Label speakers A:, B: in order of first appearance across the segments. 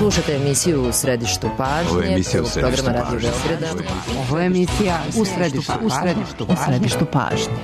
A: Slušate emisiju U središtu pažnje, programa Radio Beograda.
B: Ovo je emisija U središtu pažnje.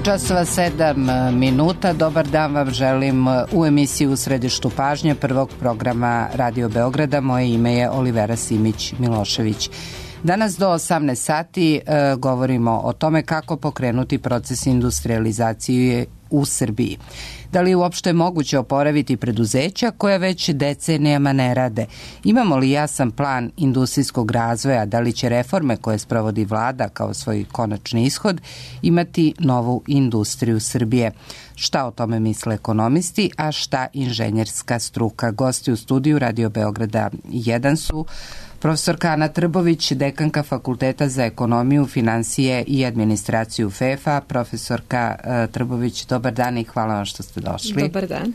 B: Časova 7 minuta. Dobar dan vam želim u emisiji U središtu pažnje prvog programa Radio Beograda. Moje ime je Olivera Simić-Milošević. Danas do 18 sati govorimo o tome kako pokrenuti proces industrializacije u Srbiji. Da li je uopšte moguće oporaviti preduzeća koja već decenijama ne rade? Imamo li jasan plan industrijskog razvoja? Da li će reforme koje sprovodi vlada kao svoj konačni ishod imati novu industriju Srbije? Šta o tome misle ekonomisti, a šta inženjerska struka? Gosti u studiju Radio Beograda 1 su profesorka Ana Trbović, dekanka Fakulteta za ekonomiju, finansije i administraciju FEFA. Profesorka Trbović, dobar dan i hvala vam što ste došli.
C: Dobar dan.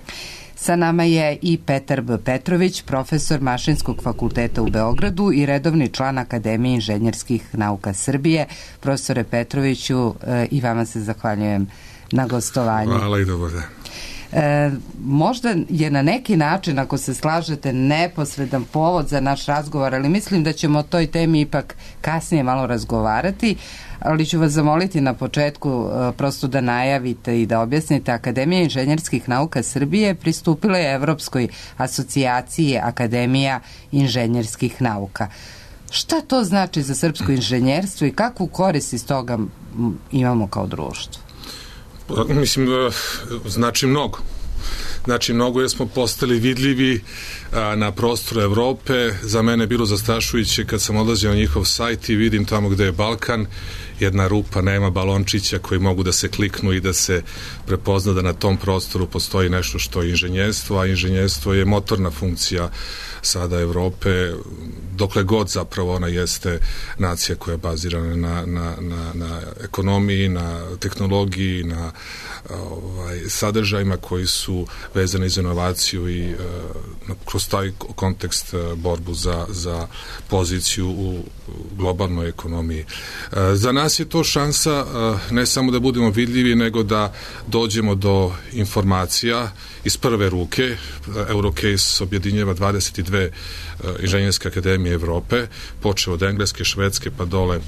A: Sa nama je i Petar B. Petrović, profesor Mašinskog fakulteta u Beogradu i redovni član Akademije inženjerskih nauka Srbije. Profesore Petroviću, i vama se zahvaljujem na gostovanju.
D: Hvala i dobar dan.
A: Možda je na neki način, ako se slažete, neposredan povod za naš razgovor, ali mislim da ćemo o toj temi ipak kasnije malo razgovarati, ali ću vas zamoliti na početku prosto da najavite i da objasnite. Akademija inženjerskih nauka Srbije pristupila je Evropskoj asocijaciji Akademija inženjerskih nauka. Šta to znači za srpsko inženjerstvo i kakvu korist iz toga imamo kao društvo?
D: Mislim da znači mnogo. Znači mnogo jer smo postali vidljivi na prostoru Evrope. Za mene je bilo zastrašujuće kad sam odlazio na njihov sajt i vidim tamo gde je Balkan, jedna rupa, nema balončića koji mogu da se kliknu i da se prepozna da na tom prostoru postoji nešto što je inženjerstvo, a inženjerstvo je motorna funkcija sada Evrope, dokle god zapravo ona jeste nacija koja je bazirana na ekonomiji, na tehnologiji, na sadržajima koji su vezani za inovaciju i kroz taj kontekst borbu za poziciju u globalnoj ekonomiji. Za nas je to šansa ne samo da budemo vidljivi, nego da dođemo do informacija iz prve ruke. Eurocase objedinjava 22 inženjerske akademije Evrope, počeo od Engleske, Švedske pa dole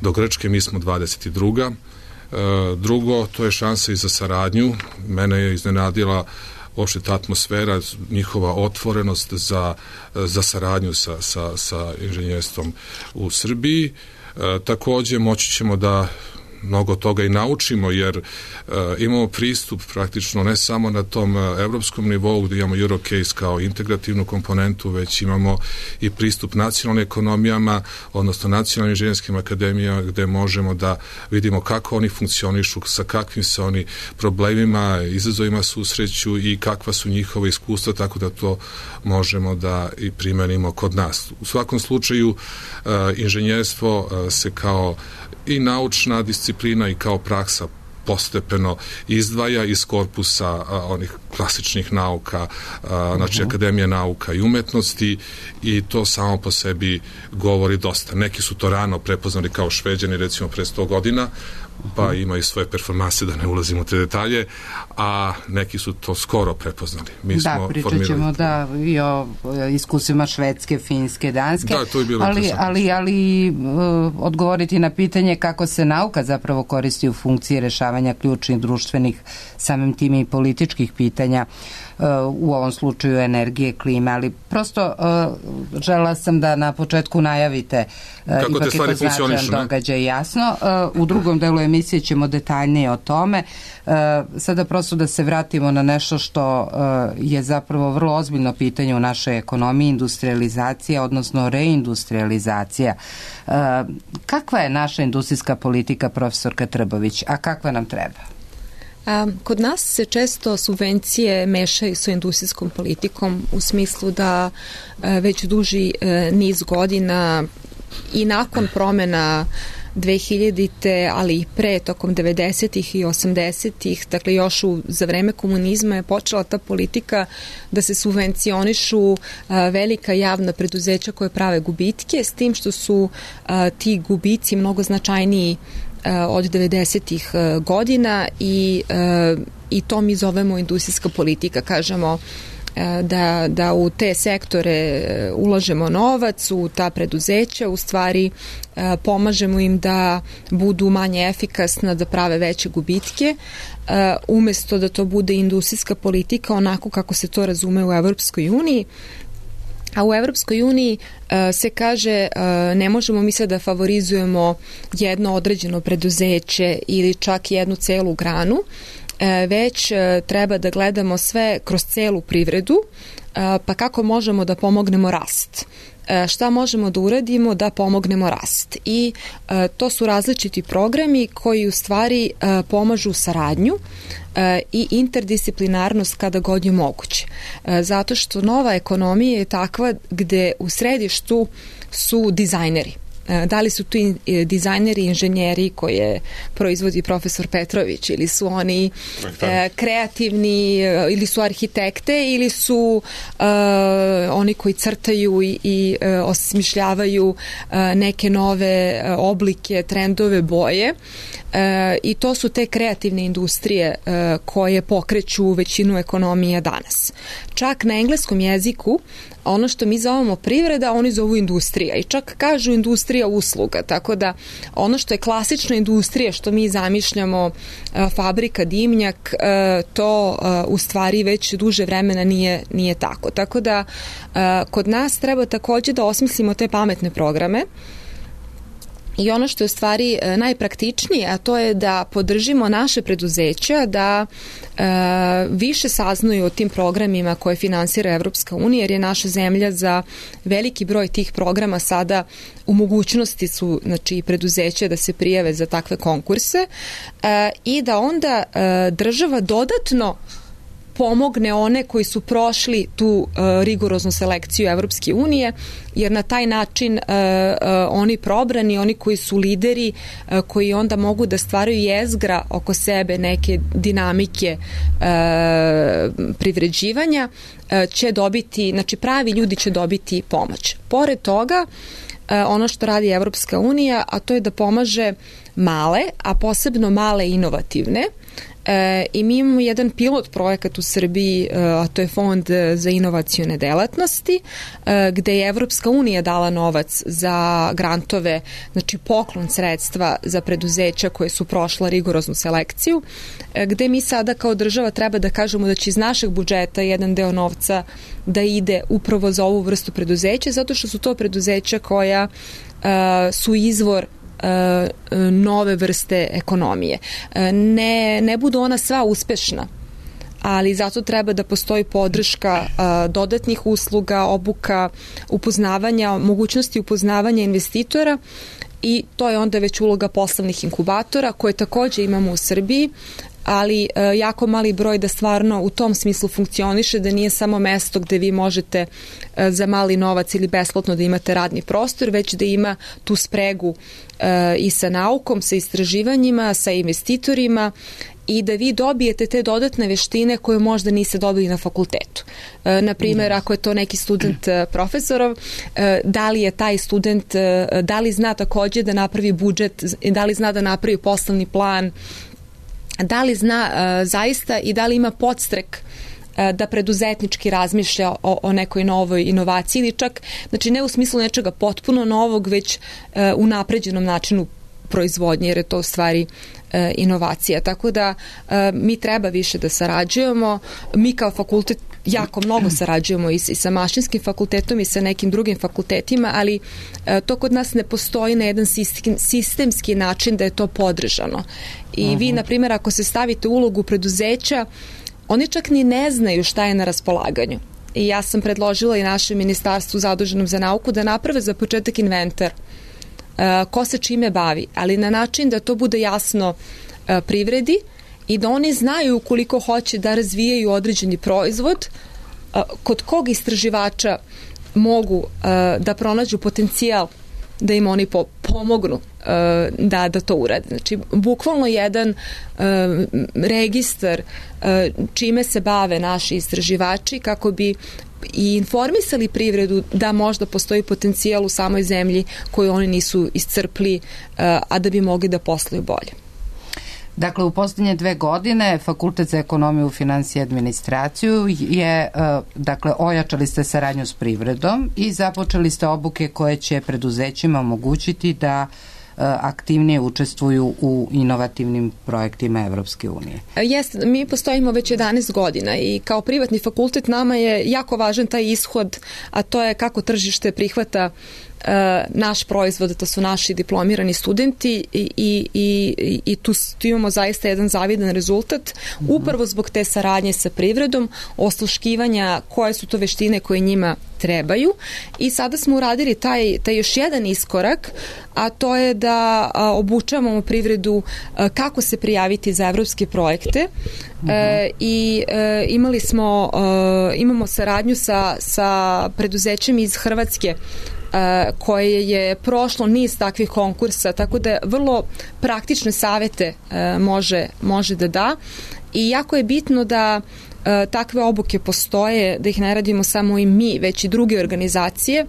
D: do Grčke, mi smo 22. Drugo, to je šansa i za saradnju. Mene je iznenadila uopšte ta atmosfera, njihova otvorenost za saradnju sa inženjerstvom u Srbiji. Takođe, moći ćemo da mnogo toga i naučimo, jer imamo pristup praktično ne samo na tom evropskom nivou gdje imamo Eurocase kao integrativnu komponentu, već imamo i pristup nacionalnim ekonomijama, odnosno nacionalnim inženjerskim akademijama, gde možemo da vidimo kako oni funkcionišu, sa kakvim se oni problemima, izazovima susreću i kakva su njihova iskustva, tako da to možemo da i primenimo kod nas. U svakom slučaju inženjerstvo se kao i naučna disciplina i kao praksa postepeno izdvaja iz korpusa onih klasičnih nauka, znači Akademija nauka i umetnosti, i to samo po sebi govori dosta. Neki su to rano prepoznali kao Šveđani, recimo pre 100 godina, pa imaju svoje performanse, da ne ulazimo u te detalje, a neki su to skoro prepoznali.
A: Pričat ćemo i o iskusima Švedske, Finske, Danske,
D: da, to je bilo
A: ali odgovoriti na pitanje kako se nauka zapravo koristi u funkciji rešavanja ključnih društvenih, samim tim i političkih pitanja, u ovom slučaju energije, klime, ali prosto žela sam da na početku najavite
D: kako te stvari funkcionišu,
A: događaj, jasno. U drugom delu emisije ćemo detaljnije o tome. Sada prosto da se vratimo na nešto što je zapravo vrlo ozbiljno pitanje u našoj ekonomiji, industrializacija, odnosno reindustrializacija. Kakva je naša industrijska politika, profesorka Trbović, a kakva nam treba?
C: Kod nas se često subvencije mešaju sa industrijskom politikom u smislu da već duži niz godina i nakon promena 2000-te, ali i pre, tokom 90-ih i 80-ih, dakle još za vreme komunizma je počela ta politika da se subvencionišu velika javna preduzeća koje prave gubitke, s tim što su ti gubici mnogo značajniji od 90-ih godina i to mi zovemo industrijska politika. Kažemo da u te sektore ulažemo novac, u ta preduzeća, u stvari pomažemo im da budu manje efikasna, da prave veće gubitke, umesto da to bude industrijska politika onako kako se to razume u Evropskoj uniji. A u Evropskoj uniji se kaže ne možemo mi sad da favorizujemo jedno određeno preduzeće ili čak jednu celu granu, već treba da gledamo sve kroz celu privredu, pa kako možemo da pomognemo rast. Šta možemo da uradimo da pomognemo rast. I to su različiti programi koji u stvari pomažu saradnju i interdisciplinarnost kada god je moguće. Zato što nova ekonomija je takva gde u središtu su dizajneri. Da li su tu dizajneri, inženjeri koje proizvodi profesor Petrović, ili su oni kreativni, ili su arhitekte, ili su oni koji crtaju i osmišljavaju neke nove oblike, trendove, boje. I to su te kreativne industrije koje pokreću većinu ekonomija danas. Čak na engleskom jeziku ono što mi zovemo privreda, oni zovu industrija i čak kažu industrija usluga, tako da ono što je klasična industrija, što mi zamišljamo fabrika, dimnjak, to u stvari već duže vremena nije tako. Tako da kod nas treba takođe da osmislimo te pametne programe. I ono što je u stvari najpraktičnije, a to je da podržimo naše preduzeća da više saznaju o tim programima koje finansira Evropska unija, jer je naša zemlja za veliki broj tih programa sada u mogućnosti su, znači, preduzeća da se prijave za takve konkurse i da onda država dodatno pomogne one koji su prošli tu rigoroznu selekciju Evropske unije, jer na taj način oni probrani, oni koji su lideri, koji onda mogu da stvaraju jezgra oko sebe neke dinamike privređivanja, će dobiti, znači pravi ljudi će dobiti pomoć. Pored toga, ono što radi Evropska unija, a to je da pomaže male, a posebno male inovativne. I mi imamo jedan pilot projekat u Srbiji, a to je Fond za inovacione delatnosti, gde je Evropska unija dala novac za grantove, znači poklon sredstva za preduzeća koje su prošla rigoroznu selekciju, gde mi sada kao država treba da kažemo da će iz našeg budžeta jedan deo novca da ide upravo za ovu vrstu preduzeća, zato što su to preduzeća koja su izvor nove vrste ekonomije. Ne budu ona sva uspešna, ali zato treba da postoji podrška dodatnih usluga, obuka, upoznavanja, mogućnosti upoznavanja investitora, i to je onda već uloga poslovnih inkubatora koje takođe imamo u Srbiji, ali jako mali broj da stvarno u tom smislu funkcioniše, da nije samo mesto gde vi možete za mali novac ili besplatno da imate radni prostor, već da ima tu spregu i sa naukom, sa istraživanjima, sa investitorima, i da vi dobijete te dodatne veštine koje možda niste dobili na fakultetu. Naprimer, ako je to neki student profesorov, da li je taj student, da li zna takođe da napravi budžet, da li zna da napravi poslovni plan, da li zna zaista i da li ima podstrek da preduzetnički razmišlja o nekoj novoj inovaciji, ili čak, znači ne u smislu nečega potpuno novog, već u napređenom načinu proizvodnje, jer je to u stvari inovacija. Tako da mi treba više da sarađujemo. Mi kao fakultet jako mnogo sarađujemo i sa mašinskim fakultetom i sa nekim drugim fakultetima, ali to kod nas ne postoji na jedan sistemski način da je to podržano. I vi, na primjer, ako se stavite u ulogu preduzeća, oni čak ni ne znaju šta je na raspolaganju. I ja sam predložila i našem ministarstvu zaduženom za nauku da naprave za početak inventar ko se čime bavi, ali na način da to bude jasno privredi i da oni znaju ukoliko hoće da razvijaju određeni proizvod, kod kog istraživača mogu da pronađu potencijal da im oni pomognu da to urade. Znači, bukvalno jedan registar čime se bave naši istraživači kako bi i informisali privredu da možda postoji potencijal u samoj zemlji koju oni nisu iscrpli, a da bi mogli da posluju bolje.
B: Dakle, u posljednje 2 godine Fakultet za ekonomiju, finansije i administraciju je, dakle, ojačali ste saradnju s privredom i započeli ste obuke koje će preduzećima omogućiti da aktivnije učestvuju u inovativnim projektima Evropske unije.
C: Jeste, mi postojimo već 11 godina i kao privatni fakultet nama je jako važan taj ishod, a to je kako tržište prihvata naš proizvod, to su naši diplomirani studenti i tu imamo zaista jedan zavidan rezultat, upravo zbog te saradnje sa privredom, osluškivanja koje su to veštine koje njima trebaju, i sada smo uradili taj još jedan iskorak, a to je da obučavamo privredu kako se prijaviti za evropske projekte i imamo saradnju sa preduzećem iz Hrvatske koje je prošlo niz takvih konkursa, tako da vrlo praktične savete može da da, i jako je bitno da takve obuke postoje, da ih ne radimo samo i mi, već i druge organizacije,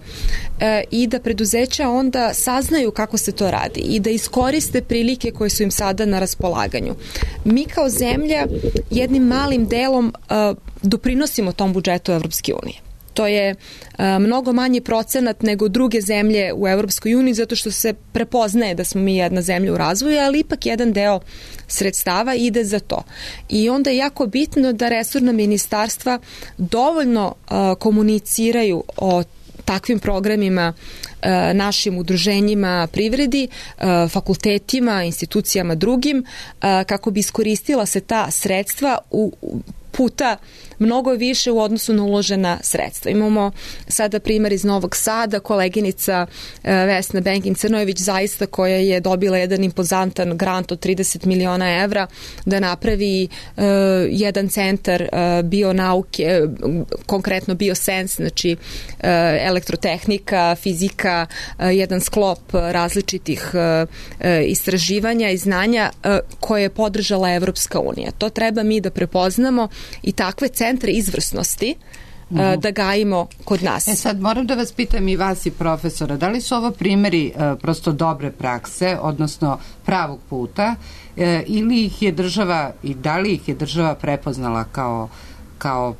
C: i da preduzeća onda saznaju kako se to radi i da iskoriste prilike koje su im sada na raspolaganju. Mi kao zemlja jednim malim delom doprinosimo tom budžetu Evropske unije. To je mnogo manji procenat nego druge zemlje u Evropskoj uniji, zato što se prepoznaje da smo mi jedna zemlja u razvoju, ali ipak jedan deo sredstava ide za to. I onda je jako bitno da resorna ministarstva dovoljno komuniciraju o takvim programima našim udruženjima privredi, fakultetima, institucijama drugim, kako bi iskoristila se ta sredstva puta mnogo više u odnosu na uložena sredstva. Imamo sada primjer iz Novog Sada, koleginica Vesna Benkin-Crnojević zaista, koja je dobila jedan impozantan grant od 30 miliona evra da napravi jedan centar bionauke, konkretno biosens, znači elektrotehnika, fizika, jedan sklop različitih istraživanja i znanja koje je podržala Evropska unija. To treba mi da prepoznamo i takve centre izvrsnosti da gajimo kod nas.
B: Sad moram da vas pitam i vas i profesora, da li su ovo primjeri prosto dobre prakse, odnosno pravog puta, ili ih je država, i da li ih je država prepoznala kao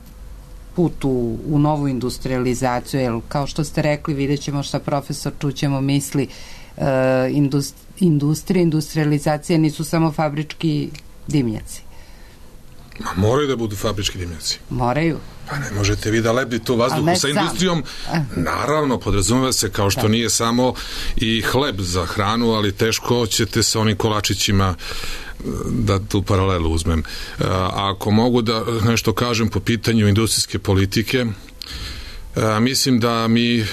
B: put u novu industrializaciju, jer kao što ste rekli, vidjet ćemo šta profesor čućemo misli, industrializacija nisu samo fabrički dimnjaci.
D: Moraju da budu fabrički dimnjaci.
B: Moraju.
D: Pa ne možete vi da lebdite u vazduhu sa industrijom. Naravno, podrazumeva se, kao što nije samo i hleb za hranu, ali teško ćete sa onim kolačićima, da tu paralelu uzmem. Ako mogu da nešto kažem po pitanju industrijske politike, mislim da mi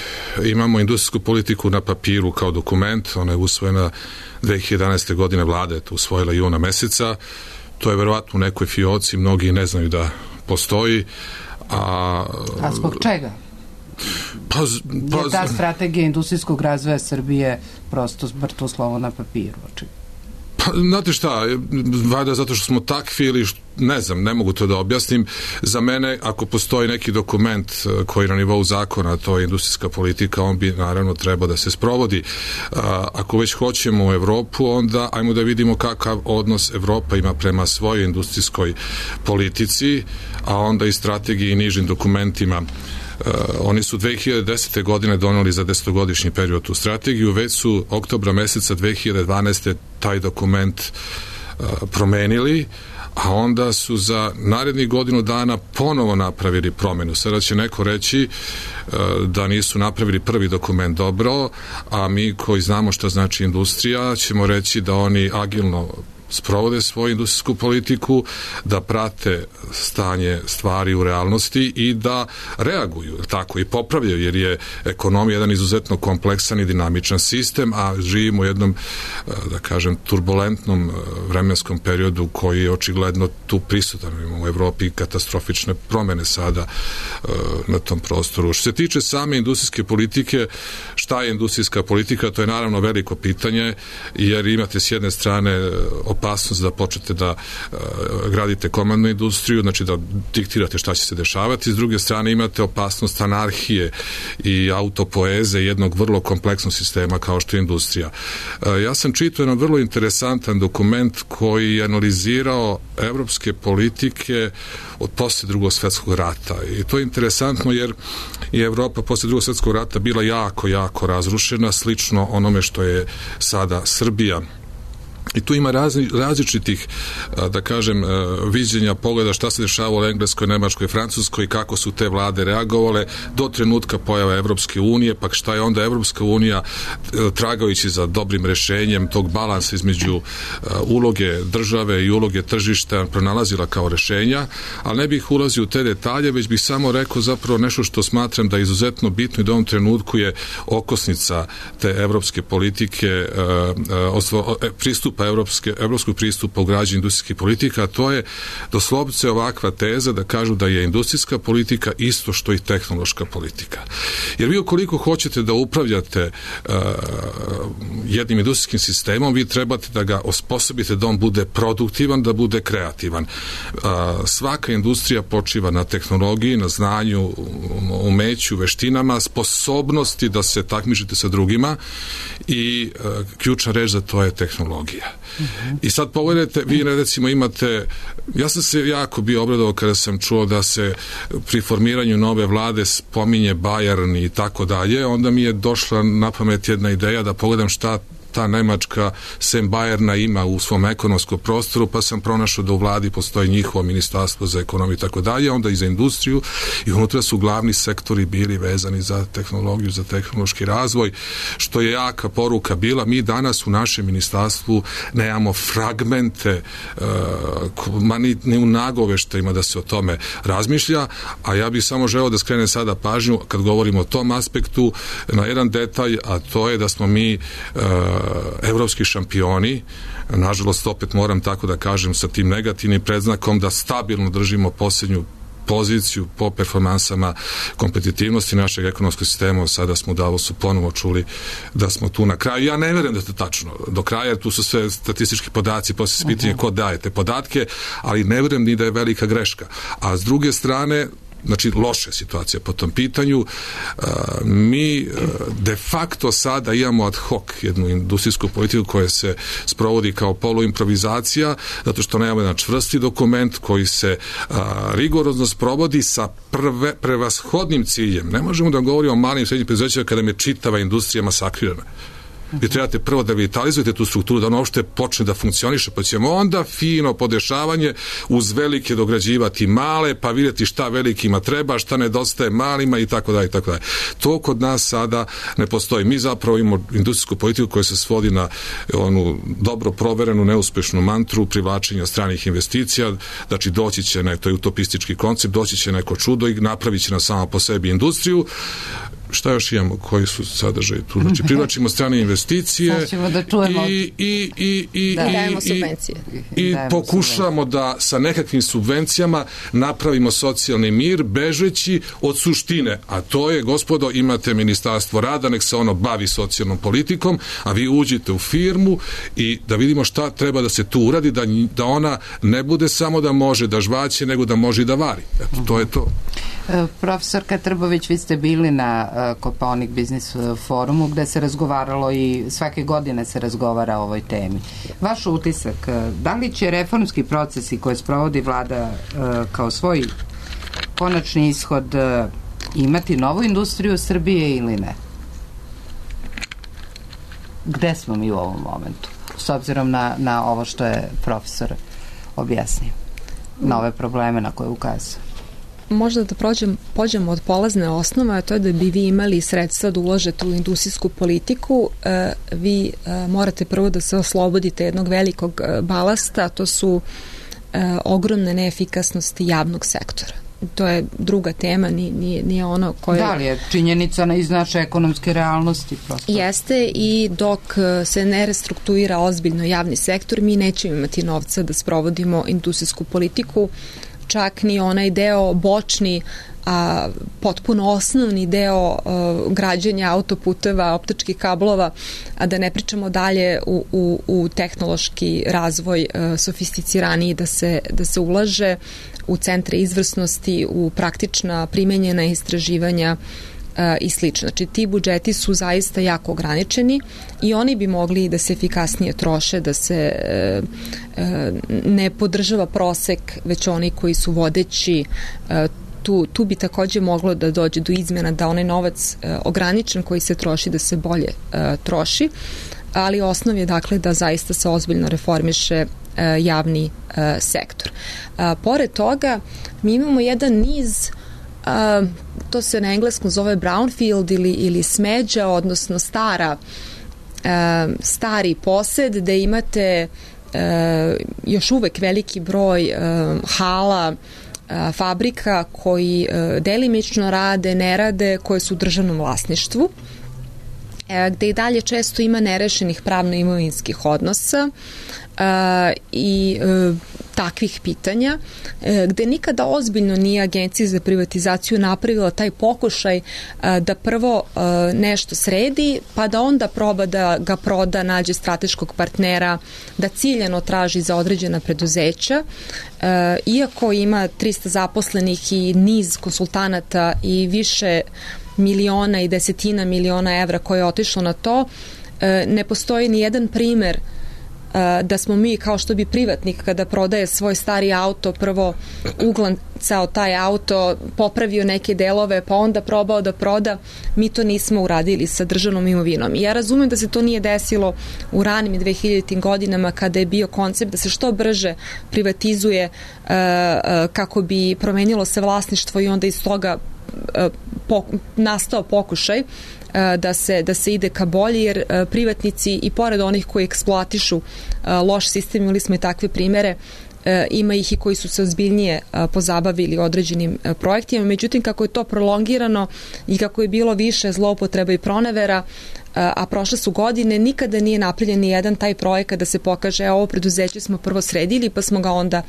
D: imamo industrijsku politiku na papiru kao dokument. Ona je usvojena 2011. godine, vlada je to usvojila juna meseca. To je verovatno u nekoj fioci, mnogi ne znaju da postoji. A
A: zbog čega? Je ta strategija industrijskog razvoja Srbije prosto mrtvo slovo na papiru, očigledno?
D: Pa, znate šta, valjda zato što smo takvi ili ne znam, ne mogu to da objasnim. Za mene, ako postoji neki dokument koji na nivou zakona, to je industrijska politika, on bi naravno trebao da se sprovodi. Ako već hoćemo u Evropu, onda ajmo da vidimo kakav odnos Evropa ima prema svojoj industrijskoj politici, a onda i strategiji i nižim dokumentima. Oni su 2010. godine doneli za 10-godišnji period tu strategiju, već su oktobra meseca 2012. taj dokument promenili, a onda su za narednih godinu dana ponovo napravili promenu. Sada će neko reći da nisu napravili prvi dokument dobro, a mi koji znamo šta znači industrija ćemo reći da oni agilno sprovode svoju industrijsku politiku, da prate stanje stvari u realnosti i da reaguju, tako, i popravljaju, jer je ekonomija jedan izuzetno kompleksan i dinamičan sistem, a živimo u jednom, da kažem, turbulentnom vremenskom periodu koji je očigledno tu prisutan. Imamo u Evropi katastrofične promene sada na tom prostoru. Što se tiče same industrijske politike, šta je industrijska politika, to je naravno veliko pitanje, jer imate s jedne strane opasnost da počnete da gradite komandnu industriju, znači da diktirate šta će se dešavati. S druge strane imate opasnost anarhije i autopoeze jednog vrlo kompleksnog sistema kao što je industrija. Ja sam čitao jedan vrlo interesantan dokument koji je analizirao evropske politike od posle Drugog svjetskog rata. I to je interesantno jer je Evropa posle Drugog svjetskog rata bila jako razrušena, slično onome što je sada Srbija. I tu ima različitih, da kažem, viđenja, pogleda šta se dešava u Engleskoj, Nemačkoj, Francuskoj, kako su te vlade reagovale do trenutka pojave Evropske unije, pa šta je onda Evropska unija tragajući za dobrim rešenjem tog balansa između uloge države i uloge tržišta pronalazila kao rešenja, ali ne bih ulazio u te detalje, već bih samo rekao zapravo nešto što smatram da je izuzetno bitno i da u ovom trenutku je okosnica te evropske politike, evropskog pristupa u građenju industrijskih politika, a to je doslovce ovakva teza da kažu da je industrijska politika isto što i tehnološka politika. Jer vi ukoliko hoćete da upravljate jednim industrijskim sistemom, vi trebate da ga osposobite da on bude produktivan, da bude kreativan. Svaka industrija počiva na tehnologiji, na znanju, umeću, veštinama, sposobnosti da se takmičite sa drugima i ključna reč za to je tehnologija. I sad pogledajte, vi recimo imate, ja sam se jako bio obradovao kada sam čuo da se pri formiranju nove vlade spominje Bayern i tako dalje, onda mi je došla na pamet jedna ideja da pogledam šta ta Nemačka sem Bayerna ima u svom ekonomskom prostoru, pa sam pronašao da u vladi postoji njihovo ministarstvo za ekonomiju i tako dalje, onda i za industriju, i unutra su glavni sektori bili vezani za tehnologiju, za tehnološki razvoj, što je jaka poruka bila. Mi danas u našem ministarstvu nemamo fragmente ni u nagoveštajima da se o tome razmišlja, a ja bih samo želeo da skrenem sada pažnju kad govorimo o tom aspektu na jedan detalj, a to je da smo mi evropski šampioni, nažalost opet moram tako da kažem sa tim negativnim predznakom, da stabilno držimo posljednju poziciju po performansama kompetitivnosti našeg ekonomskog sistema. Sada smo u Davosu ponovo čuli da smo tu na kraju. Ja ne verujem da je to tačno do kraja, jer tu su sve statistički podaci, poslije se pitanje ko daje te podatke, ali ne verujem ni da je velika greška. A s druge strane, znači loša situacija po tom pitanju, mi de facto sada imamo ad hoc jednu industrijsku politiku koja se sprovodi kao poluimprovizacija, zato što nemamo jedan čvrsti dokument koji se rigorozno sprovodi sa prevashodnim ciljem. Ne možemo da govorimo o malim i srednjim preduzećima kada je čitava industrija masakrirana. Vi trebate prvo da vitalizujete tu strukturu, da ono uopšte počne da funkcioniše, pa ćemo onda fino podešavanje uz velike dograđivati male, pa vidjeti šta velikima treba, šta nedostaje malima i tako dalje, i tako dalje. To kod nas sada ne postoji. Mi zapravo imamo industrijsku politiku koja se svodi na onu dobro proverenu, neuspešnu mantru privlačenja stranih investicija, znači doći će, to je utopistički koncept, doći će neko čudo i napravit će na samo po sebi industriju. Šta još imamo, koji su sadržaji tu? Znači, privlačimo strane investicije i pokušamo da sa nekakvim subvencijama napravimo socijalni mir, bežeći od suštine, a to je, gospodo, imate Ministarstvo rada, nek se ono bavi socijalnom politikom, a vi uđite u firmu i da vidimo šta treba da se tu uradi, da ona ne bude samo da može da žvaće, nego da može i da vari. Eto, to je to.
B: Profesorka Trbović, vi ste bili na Kopaonik Biznis forumu gde se razgovaralo i svake godine se razgovara o ovoj temi. Vaš utisak, da li će reformski procesi koje sprovodi vlada kao svoj konačni ishod imati novu industriju Srbije ili ne? Gde smo mi u ovom momentu? S obzirom na ovo što je profesor objasnio, na ove probleme na koje ukazuje.
C: Možda da pođemo od polazne osnove, a to je da bi vi imali sredstva da uložete u industrijsku politiku, vi morate prvo da se oslobodite jednog velikog balasta, to su ogromne neefikasnosti javnog sektora. To je druga tema, nije ono koje...
B: Da li je činjenica iz naše ekonomske realnosti? Prosto.
C: Jeste, i dok se ne restrukturira ozbiljno javni sektor, mi nećemo imati novca da sprovodimo industrijsku politiku, čak ni onaj deo bočni, a potpuno osnovni deo građenja autoputeva, optičkih kablova, a da ne pričamo dalje u tehnološki razvoj sofisticiraniji, da se ulaže u centre izvrsnosti, u praktična primenjena istraživanja i slično. Znači, ti budžeti su zaista jako ograničeni i oni bi mogli da se efikasnije troše, da se ne podržava prosek, već oni koji su vodeći. Tu bi takođe moglo da dođe do izmjena, da onaj novac ograničen koji se troši, da se bolje troši, ali osnov je dakle da zaista se ozbiljno reformiše javni sektor. Pored toga, mi imamo jedan niz, to se na engleskom zove brownfield ili smeđa, odnosno stari posed, gde imate još uvek veliki broj hala, fabrika koji delimično rade, ne rade, koje su u državnom vlasništvu, gde i dalje često ima nerešenih pravno-imovinskih odnosa i takvih pitanja, gde nikada ozbiljno nije Agencija za privatizaciju napravila taj pokušaj da prvo nešto sredi, pa da onda proba da ga proda, nađe strateškog partnera, da ciljano traži za određena preduzeća. Iako ima 300 zaposlenih i niz konsultanata i više miliona i desetina miliona evra koje je otišlo na to, ne postoji ni jedan primer da smo mi, kao što bi privatnik kada prodaje svoj stari auto, prvo uglancao taj auto, popravio neke delove, pa onda probao da proda. Mi to nismo uradili sa državnom imovinom. I ja razumem da se to nije desilo u ranim 2000. godinama, kada je bio koncept da se što brže privatizuje kako bi promenilo se vlasništvo i onda iz toga nastao pokušaj da se ide ka bolje, jer privatnici i pored onih koji eksploatišu loš sistem, imali smo i takve primere, ima ih i koji su se ozbiljnije pozabavili određenim projektima, međutim kako je to prolongirano i kako je bilo više zloupotreba i pronevera, a prošle su godine, nikada nije napravljen ni jedan taj projekat da se pokaže ovo preduzeće smo prvo sredili, pa smo ga onda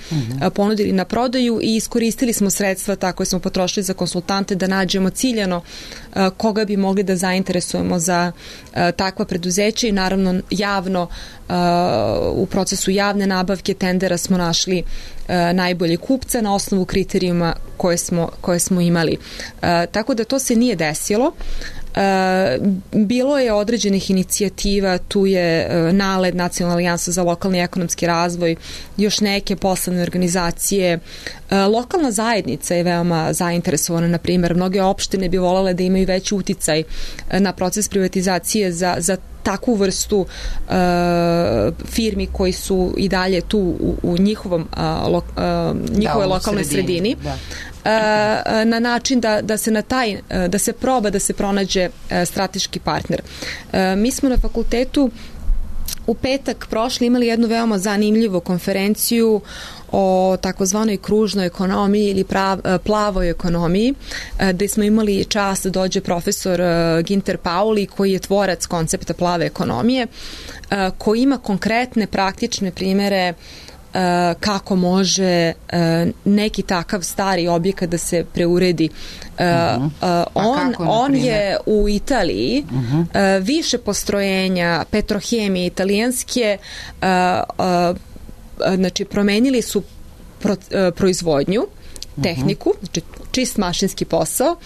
C: ponudili na prodaju i iskoristili smo sredstva tako smo potrošili za konsultante da nađemo ciljano koga bi mogli da zainteresujemo za takva preduzeća i naravno javno u procesu javne nabavke tendera smo našli najbolje kupca na osnovu kriterijuma koje smo imali. Tako da to se nije desilo. Bilo je određenih inicijativa, tu je NALED, Nacionalna alijansa za lokalni ekonomski razvoj, još neke poslovne organizacije. Lokalna zajednica je veoma zainteresovana, na primjer, mnoge opštine bi volele da imaju veći uticaj na proces privatizacije za takvu vrstu firmi koji su i dalje tu u njihovoj lokalnoj sredini. Na način da se da se proba da se pronađe strateški partner. Mi smo na fakultetu u petak prošli imali jednu veoma zanimljivu konferenciju o takozvanoj kružnoj ekonomiji ili plavoj ekonomiji, gde smo imali čast da dođe profesor Ginter Pauli, koji je tvorac koncepta plave ekonomije, koji ima konkretne praktične primere kako može neki stari objekat da se preuredi. On je u Italiji više postrojenja petrohemije italijanske, znači promenili su proizvodnju, tehniku, znači čist mašinski posao,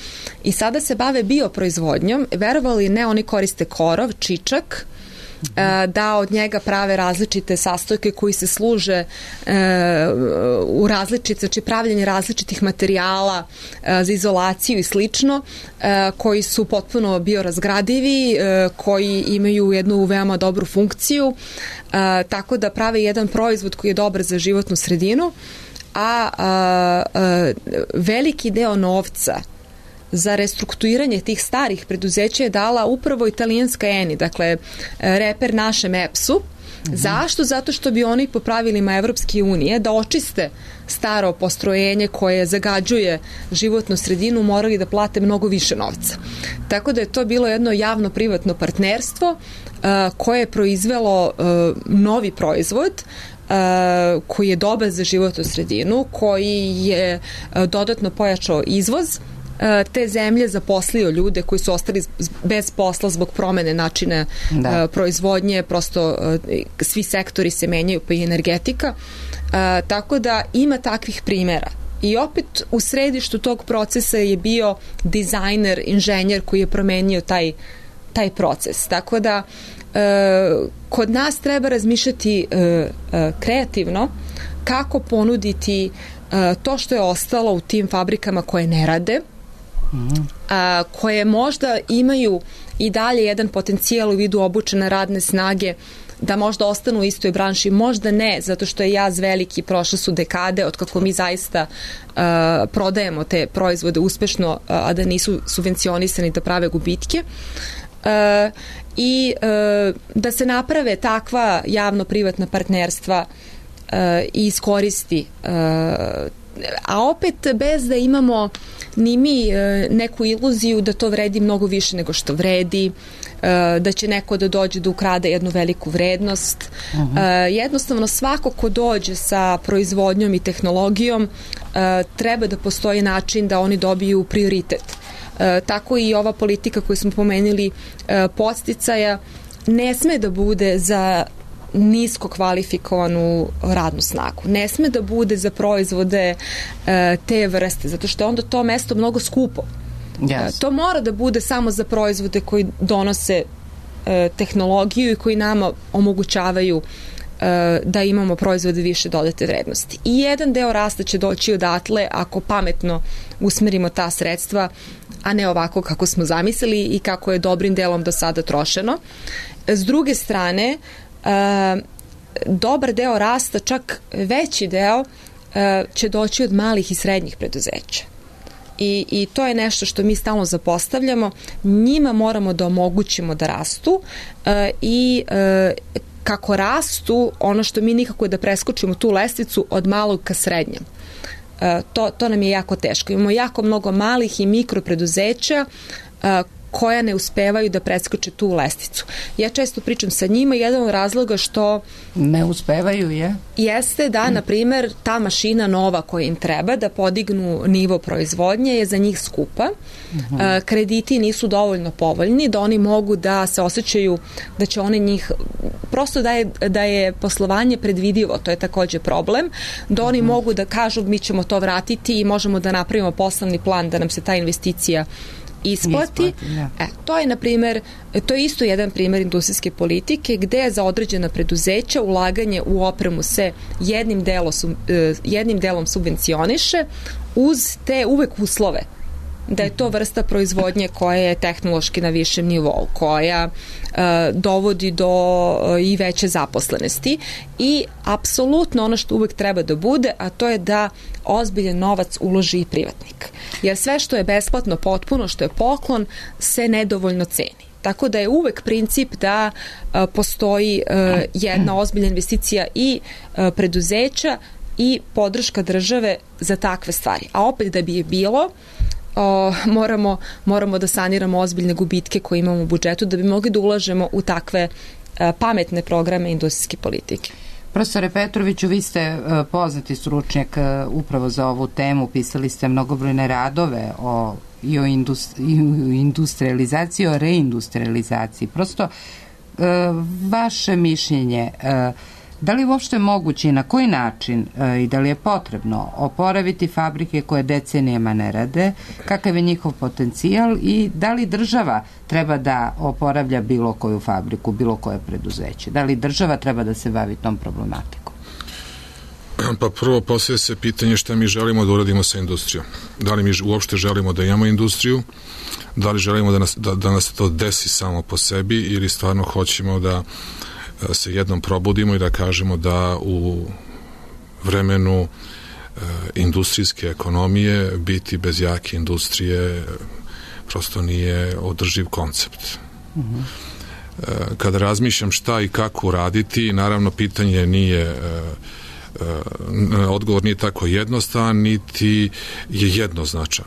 C: i sada se bave bioproizvodnjom. Verovali ne, oni koriste korov, čičak, da od njega prave različite sastojke koji se služe u različite, znači pravljenje različitih materijala za izolaciju i slično, koji su potpuno biorazgradivi, koji imaju jednu veoma dobru funkciju, tako da prave jedan proizvod koji je dobar za životnu sredinu, a veliki deo novca za restrukturiranje tih starih preduzeća je dala upravo italijanska Eni, dakle reper našem EPS-u. Zašto? Zato što bi oni po pravilima Evropske unije da očiste staro postrojenje koje zagađuje životnu sredinu morali da plate mnogo više novca. Tako da je to bilo jedno javno-privatno partnerstvo koje je proizvelo novi proizvod koji je dobar za životnu sredinu, koji je dodatno pojačao izvoz te zemlje, zaposlio ljude koji su ostali bez posla zbog promene načina proizvodnje, prosto svi sektori se menjaju, pa i energetika, tako da ima takvih primjera. I opet u središtu tog procesa je bio dizajner, inženjer koji je promenio taj proces. Tako da kod nas treba razmišljati kreativno kako ponuditi to što je ostalo u tim fabrikama koje ne rade, koje možda imaju i dalje jedan potencijal u vidu obučene radne snage, da možda ostanu u istoj branši, možda ne, zato što je jaz veliki, prošle su dekade od kako mi zaista prodajemo te proizvode uspešno, a da nisu subvencionisani, da prave gubitke. I da se naprave takva javno-privatna partnerstva i iskoristi, a opet bez da imamo ni mi neku iluziju da to vredi mnogo više nego što vredi, da će neko da dođe da ukrade jednu veliku vrednost. Jednostavno svako ko dođe sa proizvodnjom i tehnologijom treba da postoji način da oni dobiju prioritet. Tako i ova politika koju smo pomenuli podsticaja ne sme da bude za nisko kvalifikovanu radnu snagu. Ne sme da bude za proizvode te vrste, zato što je onda to mesto mnogo skupo. Yes. To mora da bude samo za proizvode koji donose tehnologiju i koji nama omogućavaju da imamo proizvode više dodate vrednosti. I jedan deo rasta će doći odatle ako pametno usmerimo ta sredstva, a ne ovako kako smo zamislili i kako je dobrim delom do sada trošeno. S druge strane, dobar deo rasta, čak veći deo, će doći od malih i srednjih preduzeća. I to je nešto što mi stalno zapostavljamo. Njima moramo da omogućimo da rastu i kako rastu, ono što mi nikako je da preskočimo tu lestvicu od malog ka srednjem. To nam je jako teško. Imamo jako mnogo malih i mikropreduzeća koja ne uspevaju da preskoče tu lestvicu. Ja često pričam sa njima, jedan od razloga što
A: ne uspevaju
C: jeste da, na primer, ta mašina nova koja im treba da podignu nivo proizvodnje je za njih skupa. Krediti nisu dovoljno povoljni da oni mogu da se osjećaju da će oni njih, prosto da je poslovanje predvidivo, to je takođe problem, da oni mogu da kažu mi ćemo to vratiti i možemo da napravimo poslovni plan da nam se ta investicija isplati. To je, na primjer, to je isto jedan primjer industrijske politike gde je za određena preduzeća ulaganje u opremu se jednim delom subvencioniše uz te uvek uslove da je to vrsta proizvodnje koja je tehnološki na višem nivou, koja dovodi do i veće zaposlenosti i apsolutno ono što uvek treba da bude, a to je da ozbiljan novac uloži i privatnik. Jer sve što je besplatno potpuno, što je poklon, se nedovoljno ceni. Tako da je uvek princip da postoji jedna ozbiljna investicija i preduzeća i podrška države za takve stvari. A opet da bi je bilo, moramo da saniramo ozbiljne gubitke koje imamo u budžetu da bi mogli da ulažemo u takve pametne programe industrijske politike.
B: Profesore Petroviću, vi ste poznati stručnjak upravo za ovu temu, pisali ste mnogobrojne radove o industrializaciji, o reindustrializaciji. Prosto, vaše mišljenje, da li je uopšte moguće i na koji način i da li je potrebno oporaviti fabrike koje decenijama ne rade, kakav je njihov potencijal i da li država treba da oporavlja bilo koju fabriku, bilo koje preduzeće? Da li država treba da se bavi tom problematikom?
D: Pa prvo postavlja se pitanje šta mi želimo da uradimo sa industrijom. Da li mi uopšte želimo da imamo industriju, da li želimo da nas to desi samo po sebi ili stvarno hoćemo da se jednom probudimo i da kažemo da u vremenu industrijske ekonomije biti bez jake industrije prosto nije održiv koncept. Kada razmišljam šta i kako uraditi, naravno pitanje nije odgovor nije tako jednostavan, niti je jednoznačan.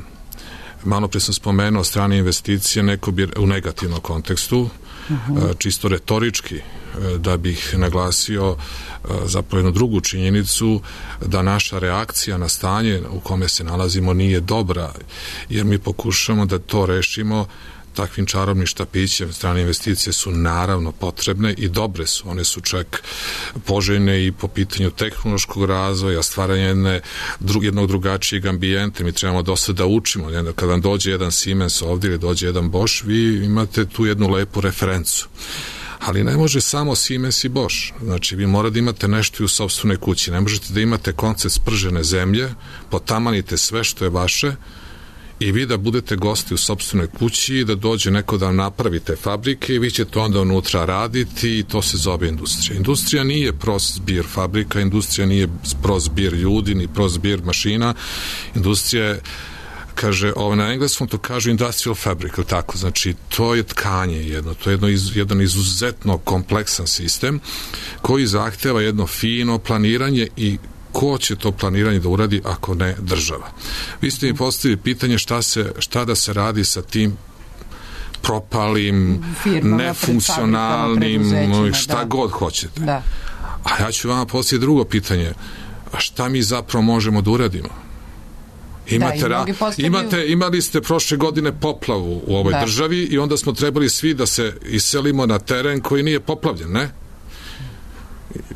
D: Malo pre sam spomenuo strane investicije, neko bi u negativnom kontekstu, čisto retorički, da bih naglasio zapravo jednu drugu činjenicu, da naša reakcija na stanje u kome se nalazimo nije dobra, jer mi pokušamo da to rešimo takvim čarobnim štapićem. Strane investicije su naravno potrebne i dobre su. One su čak poželjne i po pitanju tehnološkog razvoja, stvaranja jednog drugačijeg ambijenta. Mi trebamo dosta da učimo. Kada vam dođe jedan Siemens ovdje ili dođe jedan Bosch, vi imate tu jednu lepu referencu. Ali ne može samo Siemens i Bosch. Znači, vi morate da imate nešto i u sopstvenoj kući. Ne možete da imate koncept spržene zemlje, potamanite sve što je vaše i vi da budete gosti u sopstvenoj kući i da dođe neko da vam napravite fabrike i vi ćete onda unutra raditi i to se zove industrija. Industrija nije prost zbir fabrika, industrija nije prost zbir ljudi, ni prost zbir mašina. Industrija je, kaže, na engleskom to kažu industrial fabric, tako, znači to je tkanje jedno, to je jedan izuzetno kompleksan sistem koji zahteva jedno fino planiranje i ko će to planiranje da uradi ako ne država. Vi ste mi postavili pitanje šta da se radi sa tim propalim, nefunkcionalnim, šta god hoćete. Da. A ja ću vama postaviti drugo pitanje. A šta mi zapravo možemo da uradimo? Imali ste prošle godine poplavu u ovoj državi i onda smo trebali svi da se iselimo na teren koji nije poplavljen, ne?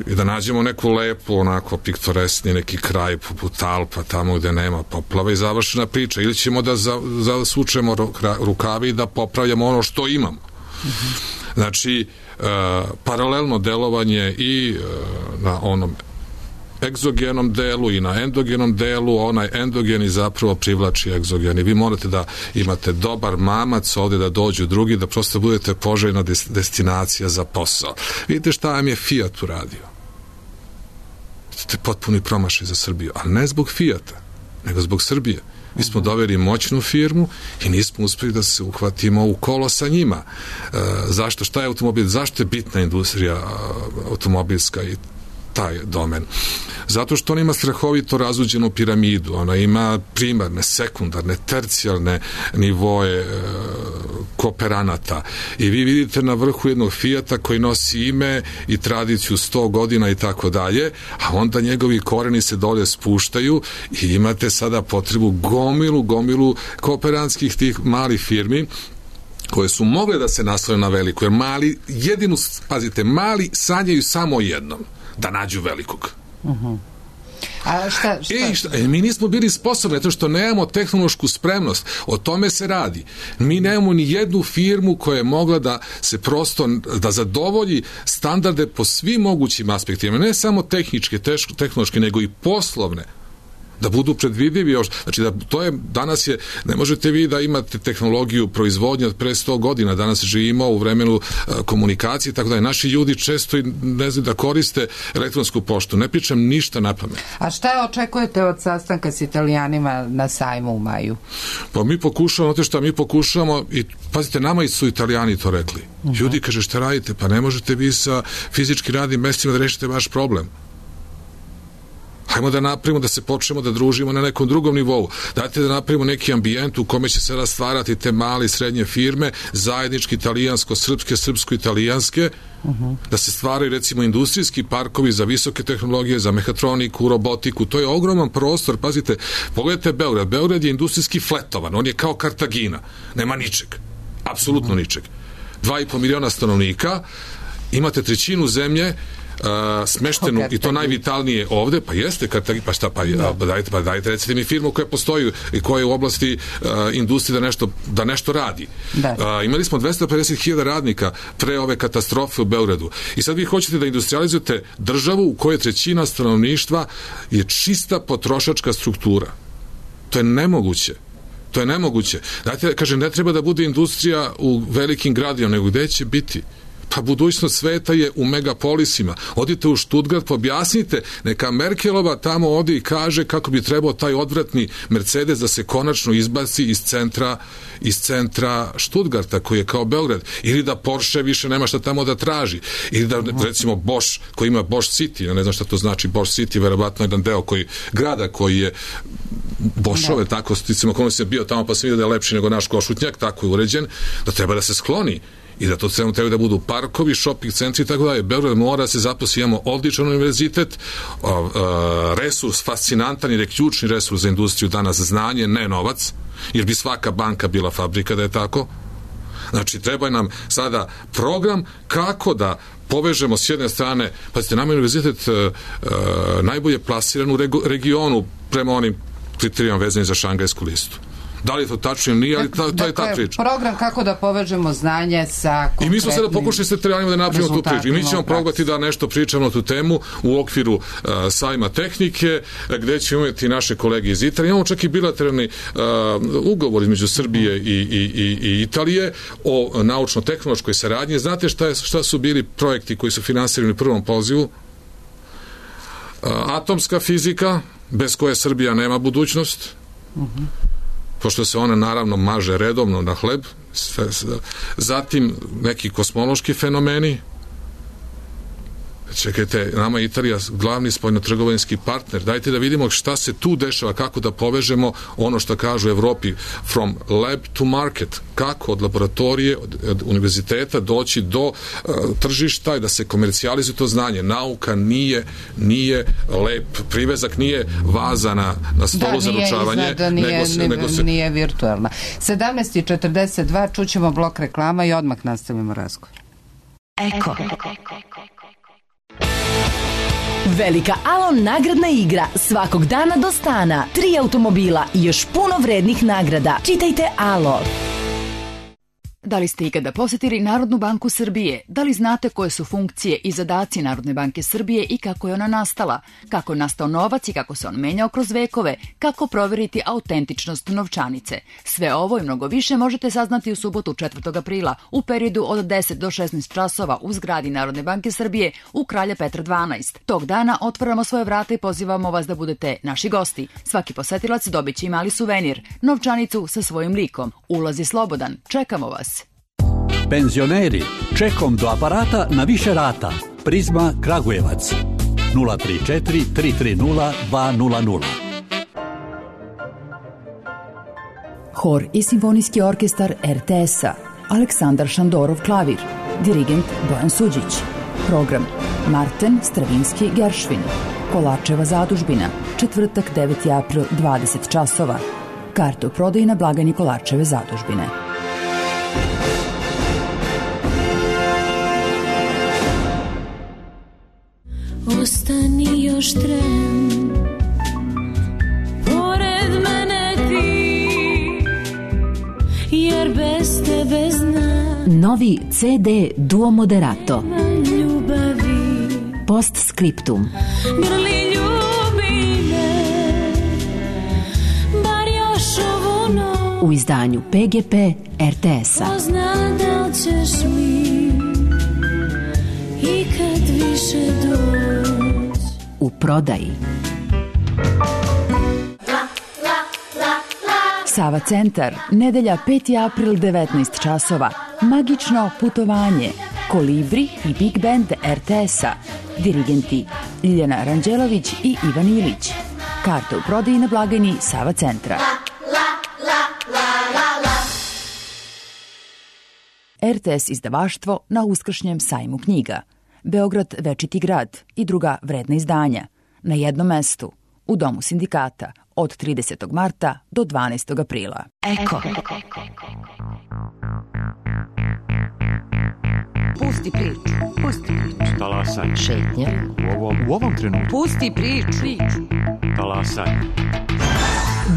D: I da nađemo neku lepu, onako piktoresni neki kraj poput Alpa, tamo gde nema poplava i završena priča. Ili ćemo da zasučemo rukavi i da popravljamo ono što imamo. Znači, paralelno delovanje i na onom egzogenom delu i na endogenom delu, onaj endogeni zapravo privlači egzogeni. Vi morate da imate dobar mamac ovde da dođu drugi, da prosto budete poželjna destinacija za posao. Vidite šta vam je Fiat uradio. To je potpuni promašaj za Srbiju, ali ne zbog Fiata, nego zbog Srbije. Mi smo doveli moćnu firmu i nismo uspeli da se uhvatimo u kolo sa njima. Zašto? Šta je automobil? Zašto je bitna industrija automobilska i taj domen? Zato što ona ima strahovito razuđenu piramidu, ona ima primarne, sekundarne, tercijalne nivoe kooperanata i vi vidite na vrhu jednog Fijata koji nosi ime i tradiciju 100 godina i tako dalje, a onda njegovi koreni se dole spuštaju i imate sada potrebu gomilu kooperantskih tih malih firmi koje su mogle da se naslove na veliko, jer mali sanjaju samo jednom, da nađu velikog.
B: A šta?
D: Mi nismo bili sposobni, zato što nemamo tehnološku spremnost. O tome se radi. Mi nemamo ni jednu firmu koja je mogla da se prosto, da zadovolji standarde po svim mogućim aspektima. Ne samo tehničke, tehnološke, nego i poslovne. da budu predvidivi još. Znači, danas je, ne možete vi da imate tehnologiju proizvodnje od pre 100 godina, danas živimo u vremenu komunikacije, tako da naši ljudi često ne znaju da koriste elektronsku poštu. Ne pričam ništa na pamet.
A: A šta očekujete od sastanka s Italijanima na sajmu u maju?
D: Pa mi pokušavamo, i pazite, nama su Italijani to rekli. Ljudi, kaže, šta radite? Pa ne možete vi sa fizički radnim mestima da rešite vaš problem. Hajmo da napravimo, da se počnemo da družimo na nekom drugom nivou. Dajte da napravimo neki ambijent u kome će se rastvarati te male i srednje firme, zajednički italijansko-srpske, srpsko-italijanske, da se stvaraju recimo industrijski parkovi za visoke tehnologije, za mehatroniku, robotiku. To je ogroman prostor. Pazite, pogledajte Beograd. Beograd je industrijski fletovan. On je kao Kartagina. Nema ničeg. Apsolutno ničeg. 2,5 miliona stanovnika, imate trećinu zemlje smeštenu i to najvitalnije ovde, pa jeste, pa šta, dajte recite mi firmu koja postoji i koja je u oblasti industrije da nešto radi. Imali smo 250.000 radnika pre ove katastrofe u Beogradu i sad vi hoćete da industrializujete državu u kojoj trećina stanovništva je čista potrošačka struktura. To je nemoguće. Dajte, kažem, ne treba da bude industrija u velikim gradima, nego gde će biti? Pa budućnost sveta je u megapolisima. Odite u Stuttgart, objasnite, neka Merkelova tamo odi i kaže kako bi trebao taj odvratni Mercedes da se konačno izbaci iz centra Stuttgarta, koji je kao Beograd, ili da Porsche više nema šta tamo da traži, ili da recimo Bosch, koji ima Bosch City, ja ne znam šta to znači Bosch City, verovatno jedan deo grada koji je Boschove, tako sticimo, kako sam bio tamo pa sam vidio da je lepši nego naš Košutnjak, tako je uređen, da treba da se skloni i da to treba da budu parkovi, shopping centri i tako dalje. Beograd mora se zaposli, imamo odličan univerzitet, resurs fascinantan, jer je ključni resurs za industriju danas znanje, ne novac, jer bi svaka banka bila fabrika da je tako. Znači, treba nam sada program kako da povežemo s jedne strane, pazite, nama je univerzitet najbolje plasiran u regionu prema onim kriterijama vezanim za šangajsku listu. Da li je to tačno ili nije, ali to je ta priča.
A: Program kako da povežemo znanje sa konkretnim...
D: I mi smo sada pokušali sa Italijanima da napravimo tu priču. I mi ćemo probati da nešto pričamo na tu temu u okviru sajma tehnike, gde ćemo imati naše kolege iz Italije. Imamo čak i bilateralni ugovor između Srbije i Italije o naučno-tehnološkoj saradnji. Znate šta su bili projekti koji su finansirani u prvom pozivu? Atomska fizika, bez koje Srbija nema budućnost. Pošto se ona naravno maže redovno na hleb, zatim neki kosmološki fenomeni. Čekajte, nama je Italija glavni spoljnotrgovinski partner. Dajte da vidimo šta se tu dešava, kako da povežemo ono što kažu u Evropi from lab to market. Kako od laboratorije, od univerziteta doći do tržišta i da se komercijalizuje to znanje. Nauka nije lep privezak, nije vaza na stolu za ručavanje.
A: Nije virtualna. 17:42, čućemo blok reklama i odmah nastavimo razgovor.
E: Eko. Velika Alon nagradna igra svakog dana do stana, 3 automobila i još puno vrednih nagrada. Čitajte Alo.
F: Da li ste ikada posetili Narodnu banku Srbije? Da li znate koje su funkcije i zadaci Narodne banke Srbije i kako je ona nastala? Kako je nastao novac i kako se on menjao kroz vekove? Kako proveriti autentičnost novčanice? Sve ovo i mnogo više možete saznati u subotu 4. aprila u periodu od 10 do 16 časova u zgradi Narodne banke Srbije u Kralja Petra 12. Tog dana otvaramo svoje vrata i pozivamo vas da budete naši gosti. Svaki posetilac dobit će i mali suvenir, novčanicu sa svojim likom. Ulaz je slobodan. Čekamo vas.
G: Penzioneri, čekom do aparata na više rata. Prizma Kragujevac 034 330 200.
E: Hor i simfonijski orkestar RTS-a. Aleksandar Šandorov klavir. Dirigent Bojan Suđić. Program Marten Stravinski Geršvin. Kolarčeva zadužbina. Četvrtak 9. april 20 časova. Karte u prodaji na blagajni Kolarčeve zadužbine.
H: Ostani još tren, pored mene ti, jer bez tebe znam.
E: Novi CD Duo Moderato.
H: Ljubavi.
E: Postscriptum.
H: Grli ljubi me,
E: u izdanju PGP RTS-a.
H: Ko zna da li ćeš mi ikad više doći.
E: U prodaji. Sava centar, nedelja 5. april 19 časova. Magično putovanje. Kolibri i Big Band RTS-a. Dirigenti Ljiljana Ranđelović i Ivan Ilić. Karte u prodaji na blagajni Sava centra. RTS izdavaštvo na uskršnjem sajmu knjiga. Beograd večiti grad i druga vredna izdanja. Na jednom mestu. U Domu sindikata. Od 30. marta do 12. aprila. Eko.
A: Pusti priču. Pusti priču.
I: Talasaj.
A: Šetnja.
I: U ovom trenutku.
A: Pusti priču.
I: Talasaj.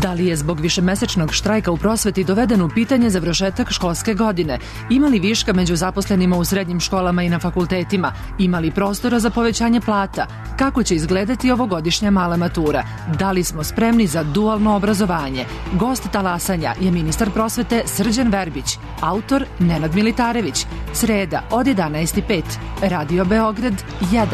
J: Da li je zbog višemesečnog štrajka u prosveti doveden u pitanje završetak školske godine? Ima li viška među zaposlenima u srednjim školama i na fakultetima? Ima li prostora za povećanje plata? Kako će izgledati ovogodišnja mala matura? Da li smo spremni za dualno obrazovanje? Gost talasanja je ministar prosvete Srđan Verbić, autor Nenad Militarević. Sreda od 11:05. Radio Beograd 1.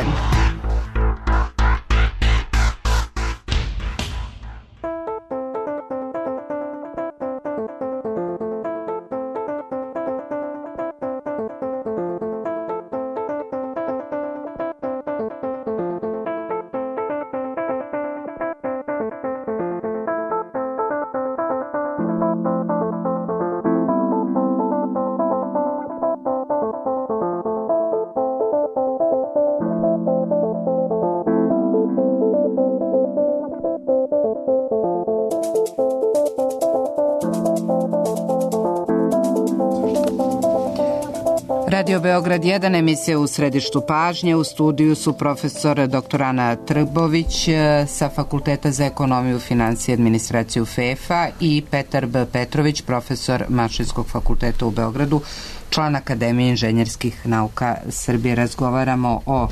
B: Radio Beograd 1, emisija u središtu pažnje. U studiju su profesor dr. Ana Trbović sa Fakulteta za ekonomiju, financije i administraciju FEFA i Petar B. Petrović, profesor Mašinskog fakulteta u Beogradu, član Akademije inženjerskih nauka Srbije. Razgovaramo o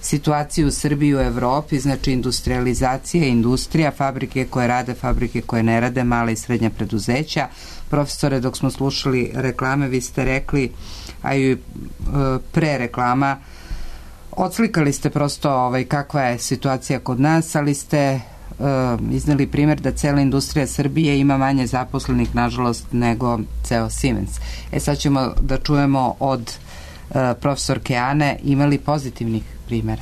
B: situaciji u Srbiji i u Evropi, znači industrializacija, industrija, fabrike koje rade, fabrike koje ne rade, mala i srednja preduzeća. Profesore, dok smo slušali reklame, vi ste rekli, a i pre reklama, odslikali ste prosto kakva je situacija kod nas, ali ste izneli primjer da cela industrija Srbije ima manje zaposlenih, nažalost, nego ceo Siemens. Sad ćemo da čujemo od profesorke Ane, ima li pozitivnih primjera?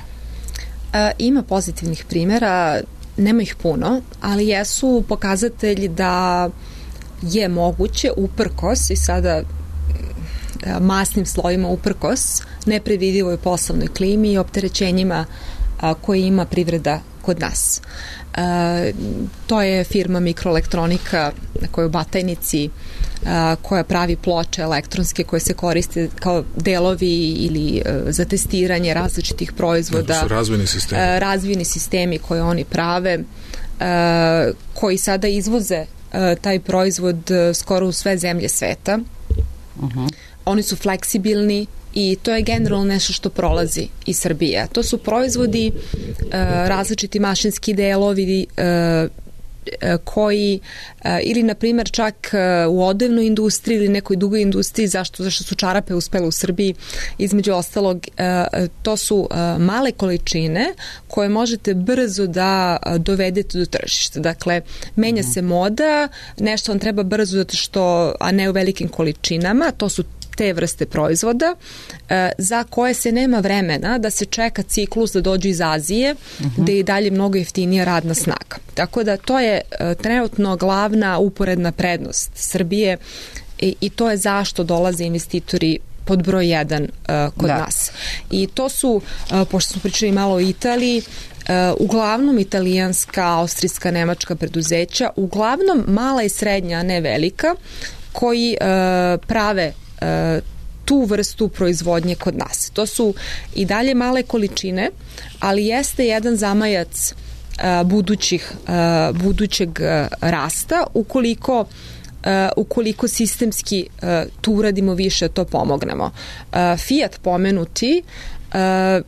C: Ima pozitivnih primjera, nema ih puno, ali jesu pokazatelji da je moguće uprkos i sada masnim slojima uprkos nepredvidivoj poslovnoj klimi i opterećenjima koje ima privreda kod nas. To je firma Mikroelektronika koja je u Batajnici, koja pravi ploče elektronske koje se koriste kao delovi ili za testiranje različitih proizvoda.
D: To su razvojni sistemi.
C: Razvojni sistemi koje oni prave, koji sada izvoze taj proizvod skoro u sve zemlje sveta. Oni su fleksibilni i to je generalno nešto što prolazi iz Srbije. To su proizvodi, različiti mašinski delovi koji ili na primjer čak u odevnoj industriji ili nekoj dugoj industriji, zašto su čarape uspele u Srbiji, između ostalog, to su male količine koje možete brzo da dovedete do tržišta. Dakle, menja se moda, nešto vam treba brzo zato što, a ne u velikim količinama, to su te vrste proizvoda za koje se nema vremena da se čeka ciklus da dođu iz Azije, gde je i dalje mnogo jeftinija radna snaga. Tako da to je trenutno glavna uporedna prednost Srbije i to je zašto dolaze investitori pod broj 1 kod nas. I to su, pošto smo pričali malo o Italiji, uglavnom italijanska, austrijska, nemačka preduzeća, uglavnom mala i srednja, a ne velika, koji prave tu vrstu proizvodnje kod nas. To su i dalje male količine, ali jeste jedan zamajac budućeg rasta ukoliko sistemski tu uradimo više, to pomognemo. Fiat pomenuti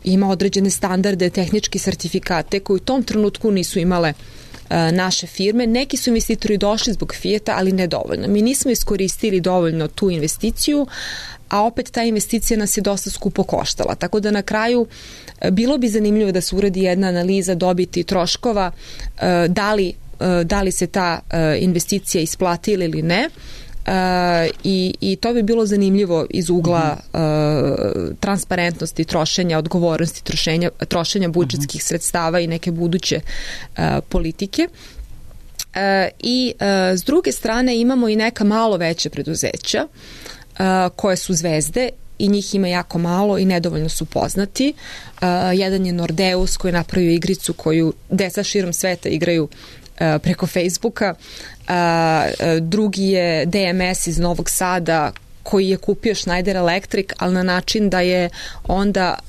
C: ima određene standarde, tehničke sertifikate koji u tom trenutku nisu imale naše firme. Neki su investitori došli zbog Fijata, ali ne dovoljno. Mi nismo iskoristili dovoljno tu investiciju, a opet ta investicija nas je dosta skupo koštala. Tako da na kraju bilo bi zanimljivo da se uradi jedna analiza dobiti troškova, da li se ta investicija isplatila ili ne. I to bi bilo zanimljivo iz ugla transparentnosti trošenja, odgovornosti trošenja budžetskih sredstava i neke buduće politike. I s druge strane imamo i neka malo veće preduzeća koje su zvezde i njih ima jako malo i nedovoljno su poznati. Jedan je Nordeus koji je napravio igricu koju deca širom sveta igraju preko Facebooka. Drugi je DMS iz Novog Sada koji je kupio Schneider Electric, ali na način da je onda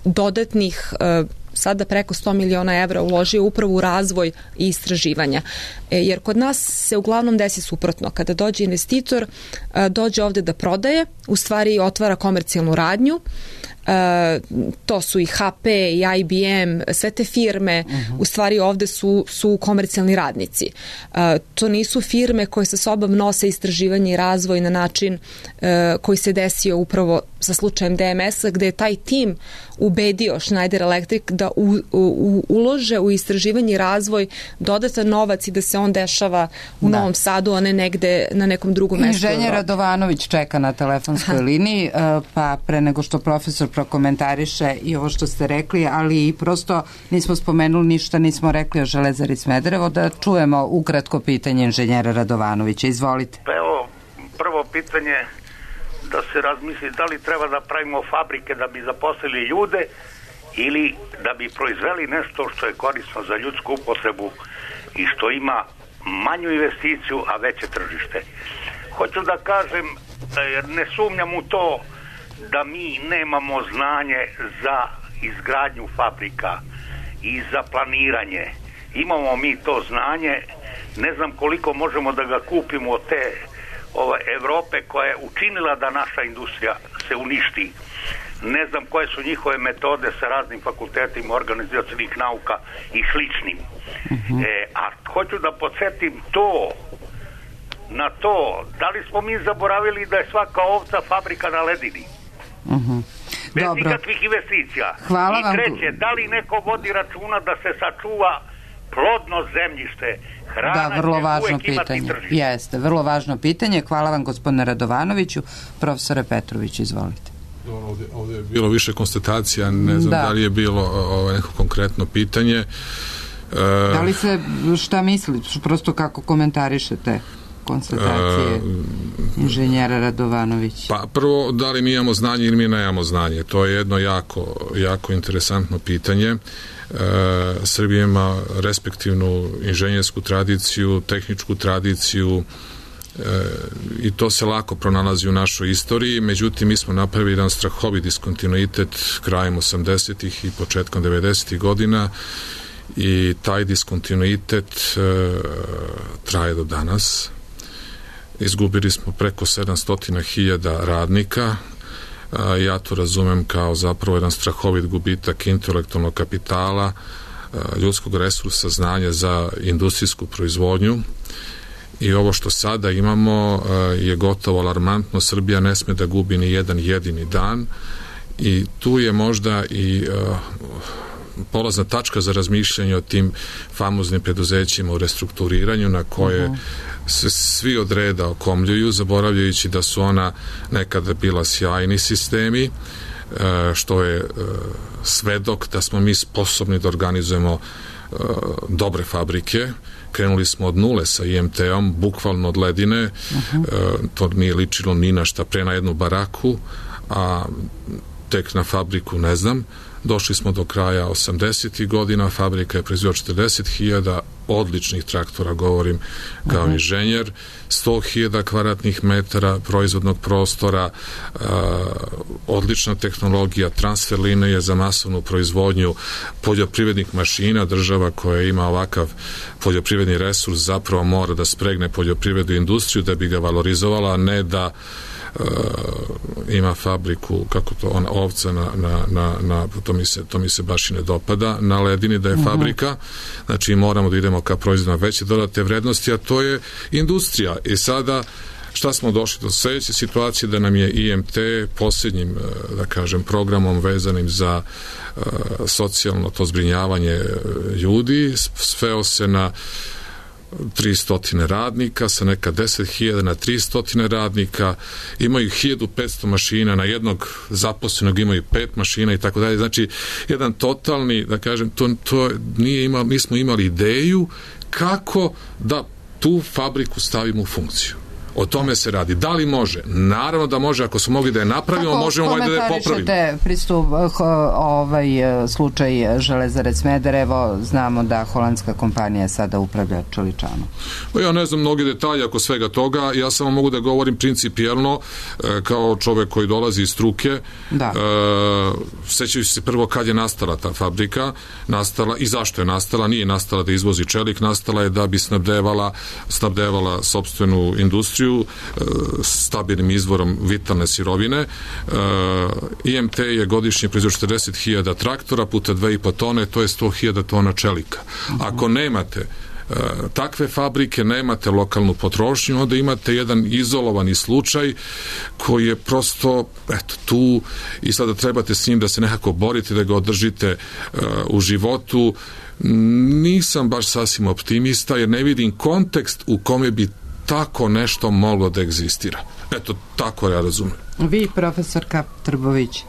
C: dodatnih sada preko 100 miliona evra uložio upravo u razvoj i istraživanja. Jer kod nas se uglavnom desi suprotno. Kada dođe investitor, dođe ovde da prodaje, u stvari otvara komercijalnu radnju, to su i HP i IBM, sve te firme u stvari ovde su komercijalni radnici. To nisu firme koje sa sobom nose istraživanje i razvoj na način koji se desio upravo sa slučajem DMS-a, gde je taj tim ubedio Schneider Electric da ulože u istraživanje i razvoj dodatan novac i da se on dešava u Novom Sadu, a ne negde na nekom drugom mestu.
A: Inženjer Radovanović čeka na telefonskoj liniji, pa pre nego što profesor prokomentariše i ovo što ste rekli, ali i prosto nismo spomenuli ništa, nismo rekli o Železari Smederevo, da čujemo ukratko pitanje inženjera Radovanovića. Izvolite.
K: Pa evo, prvo pitanje da se razmisli da li treba da pravimo fabrike da bi zaposlili ljude ili da bi proizveli nešto što je korisno za ljudsku upotrebu i što ima manju investiciju, a veće tržište. Hoću da kažem, ne sumnjam u to da mi nemamo znanje za izgradnju fabrika i za planiranje. Imamo mi to znanje, ne znam koliko možemo da ga kupimo od te Evrope koja je učinila da naša industrija se uništi. Ne znam koje su njihove metode sa raznim fakultetima organizacionih nauka i sličnim. A hoću da podsjetim na to, da li smo mi zaboravili da je svaka ovca fabrika na ledini? Bez nikakvih investicija.
A: Hvala
K: I treće, da li neko vodi računa da se sačuva plodno zemljište?
A: Da, vrlo važno pitanje. Jeste, vrlo važno pitanje. Hvala vam, gospodine Radovanoviću. Profesore Petrović, izvolite.
D: Ovdje je bilo više konstatacija, ne znam da li je bilo neko konkretno pitanje.
A: Da li se, šta mislite, prosto kako komentarišete konstatacije inženjera Radovanovića?
D: Pa prvo, da li mi imamo znanje ili mi nemamo znanje? To je jedno jako interesantno pitanje. Srbija ima respektivnu inženjersku tradiciju, tehničku tradiciju i to se lako pronalazi u našoj istoriji, međutim mi smo napravili jedan strahovit diskontinuitet krajem 80-ih i početkom 90-ih godina i taj diskontinuitet traje do danas. Izgubili smo preko 700.000 radnika. Ja to razumem kao zapravo jedan strahovit gubitak intelektualnog kapitala, ljudskog resursa, znanja za industrijsku proizvodnju i ovo što sada imamo je gotovo alarmantno. Srbija ne sme da gubi ni jedan jedini dan i tu je možda i polazna tačka za razmišljanje o tim famoznim preduzećima u restrukturiranju na koje se svi od reda okomljuju, zaboravljajući da su ona nekada bila sjajni sistemi, što je svedok da smo mi sposobni da organizujemo dobre fabrike. Krenuli smo od nule sa IMT-om, bukvalno od ledine, to nije ličilo ni na šta, pre na jednu baraku, a tek na fabriku ne znam. Došli smo do kraja 80. godina, fabrika je proizvela 40.000 odličnih traktora, govorim kao inženjer, 100.000 kvadratnih metara proizvodnog prostora, odlična tehnologija, transfer linije za masovnu proizvodnju poljoprivrednih mašina. Država koja ima ovakav poljoprivredni resurs zapravo mora da spregne poljoprivrednu industriju da bi ga valorizovala, a ne da ima fabriku, kako to, ona ovca to mi se baš i ne dopada, na ledini da je fabrika, znači moramo da idemo ka proizvodima veće dodatne vrednosti, a to je industrija. I sada šta smo došli do sledeće situacije, da nam je IMT posljednjim, da kažem, programom vezanim za socijalno to zbrinjavanje ljudi sveo se na 300 radnika, sa neka 10.000 na 300 radnika, imaju 1500 mašina, na jednog zaposlenog imaju 5 mašina i tako dalje. Znači, jedan totalni, da kažem, to nismo imali ideju kako da tu fabriku stavimo u funkciju. O tome se radi. Da li može? Naravno da može. Ako smo mogli da je napravimo, možemo da je popravimo.
B: Kako pristup slučaj Železare Smederevo? Znamo da holandska kompanija sada upravlja čeličanom.
D: Ja ne znam mnogi detalje oko svega toga. Ja samo mogu da govorim principijelno kao čovek koji dolazi iz struke. Sećaju se prvo kad je nastala ta fabrika, nastala i zašto je nastala. Nije nastala da izvozi čelik, nastala je da bi snabdevala sopstvenu industriju stabilnim izvorom vitalne sirovine. IMT je godišnje proizveo 40.000 traktora puta 2,5 tone, to je 100.000 tona čelika. Ako nemate takve fabrike, nemate lokalnu potrošnju, onda imate jedan izolovani slučaj koji je prosto tu i sada trebate s njim da se nekako borite, da ga održite u životu. Nisam baš sasvim optimista jer ne vidim kontekst u kome bi tako nešto moglo da egzistira. Eto, tako ja razumem.
B: Vi, profesorka Trbović,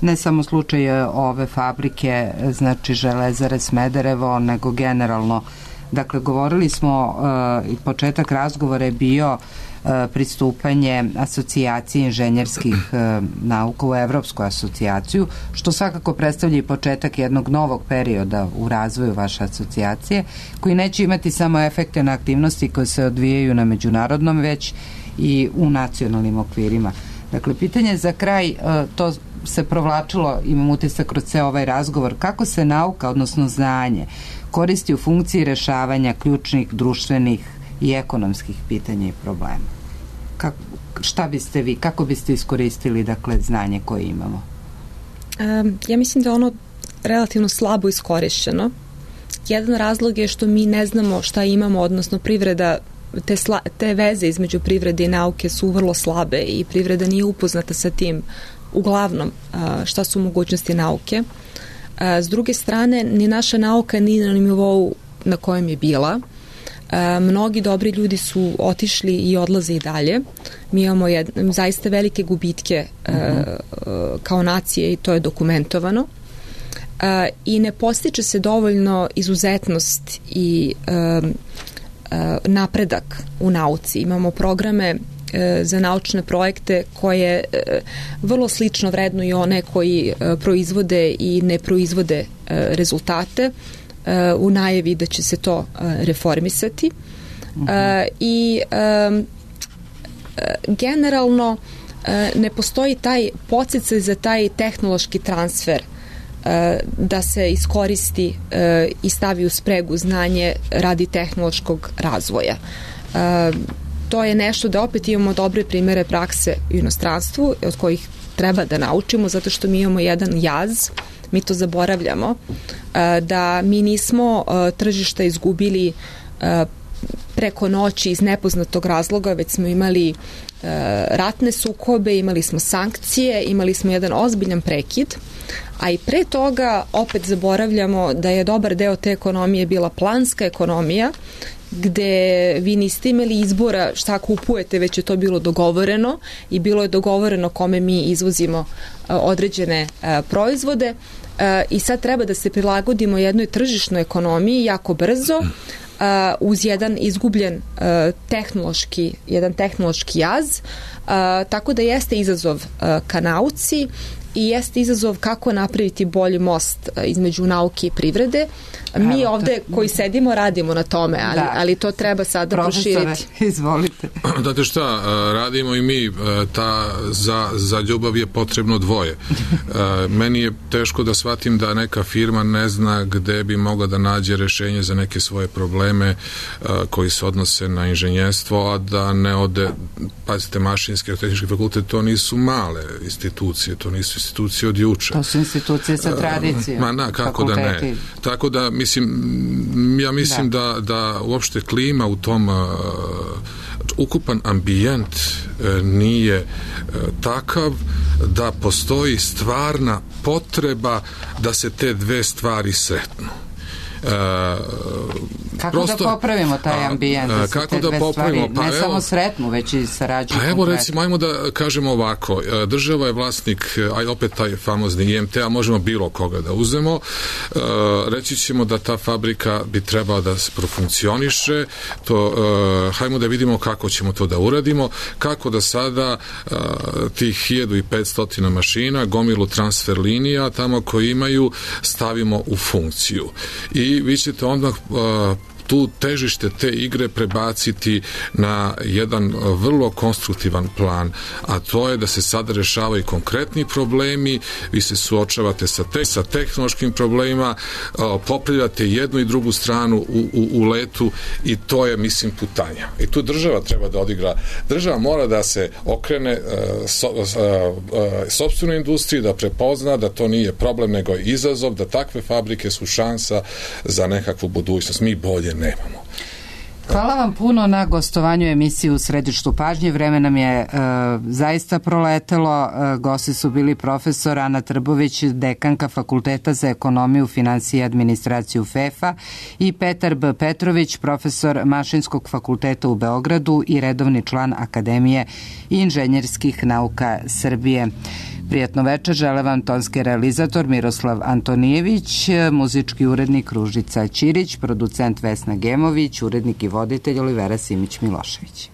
B: ne samo slučaj ove fabrike, znači Železare Smederevo, nego generalno. Dakle, govorili smo, i početak razgovora je bio pristupanje asocijacije inženjerskih nauka u Evropsku asocijaciju, što svakako predstavlja i početak jednog novog perioda u razvoju vaše asocijacije, koji neće imati samo efekte na aktivnosti koje se odvijaju na međunarodnom, već i u nacionalnim okvirima. Dakle, pitanje za kraj, to se provlačilo, imam utisak kroz ceo ovaj razgovor, kako se nauka, odnosno znanje, koristi u funkciji rešavanja ključnih društvenih i ekonomskih pitanja i problema. Šta biste vi, kako biste iskoristili, dakle, znanje koje imamo?
C: Ja mislim da je ono relativno slabo iskorišćeno. Jedan razlog je što mi ne znamo šta imamo, odnosno privreda, te veze između privrede i nauke su vrlo slabe i privreda nije upoznata sa tim uglavnom šta su mogućnosti nauke. S druge strane, ni naša nauka nije na nivou na kojem je bila. Mnogi dobri ljudi su otišli i odlaze i dalje. Mi imamo zaista velike gubitke kao nacije i to je dokumentovano. I ne postiče se dovoljno izuzetnost i napredak u nauci. Imamo programe za naučne projekte koje vrlo slično vrednuju one koji proizvode i ne proizvode rezultate u najavi da će se to reformisati. I generalno ne postoji taj podsticaj za taj tehnološki transfer da se iskoristi i stavi u spregu znanje radi tehnološkog razvoja. To je nešto da opet imamo dobre primere prakse u inostranstvu od kojih treba da naučimo, zato što mi imamo jedan jaz, mi to zaboravljamo, da mi nismo tržišta izgubili preko noći iz nepoznatog razloga, već smo imali ratne sukobe, imali smo sankcije, imali smo jedan ozbiljan prekid, a i pre toga opet zaboravljamo da je dobar deo te ekonomije bila planska ekonomija, gde vi niste imali izbora šta kupujete, već je to bilo dogovoreno i bilo je dogovoreno kome mi izvozimo određene proizvode i sad treba da se prilagodimo jednoj tržišnoj ekonomiji jako brzo uz jedan izgubljen tehnološki jaz, tako da jeste izazov ka nauci i jeste izazov kako napraviti bolji most između nauke i privrede. Mi ovde koji sedimo radimo na tome, ali to treba sada proširiti.
A: Izvolite.
D: Znate šta, radimo i mi, za ljubav je potrebno dvoje. Meni je teško da shvatim da neka firma ne zna gde bi mogla da nađe rešenje za neke svoje probleme koji se odnose na inženjerstvo, a da ne ode, pazite, mašinski i tehnički fakultet, to nisu male institucije, to nisu institucije od juče.
A: To su institucije sa tradicijom.
D: Kako da ne. Tako da, ja mislim da uopšte klima u tom ukupan ambijent nije takav da postoji stvarna potreba da se te dve stvari sretnu.
A: Kako da popravimo taj ambijent?
D: Kako da popravimo?
A: Ne samo sretnu, već i sarađuju.
D: Pa evo, recimo, ajmo da kažemo ovako, država je vlasnik, aj opet taj famozni IMT, a možemo bilo koga da uzemo, reći ćemo da ta fabrika bi trebala da profunkcioniše, hajmo da vidimo kako ćemo to da uradimo, kako da sada tih 1500 mašina, gomilu transfer linija, tamo koji imaju, stavimo u funkciju. I vi ćete onda tu težište te igre prebaciti na jedan vrlo konstruktivan plan, a to je da se sada rešavaju konkretni problemi, vi se suočavate sa tehnološkim problemima, popravljate jednu i drugu stranu u letu i to je, mislim, putanja. I tu država treba da odigra. Država mora da se okrene sopstvenoj industriji, da prepozna da to nije problem, nego je izazov, da takve fabrike su šansa za nekakvu budućnost. Mi bolje nemamo.
A: Hvala vam puno na gostovanju emisiji U središtu pažnje. Vreme nam je zaista proletelo. Gosti su bili profesor Ana Trbović, dekanka Fakulteta za ekonomiju, finansije i administraciju FEFA, i Petar B. Petrović, profesor Mašinskog fakulteta u Beogradu i redovni član Akademije inženjerskih nauka Srbije. Prijatno večer, žele vam tonski realizator Miroslav Antonijević, muzički urednik Ružica Ćirić, producent Vesna Gemović, urednik i voditelj Olivera Simić Milošević.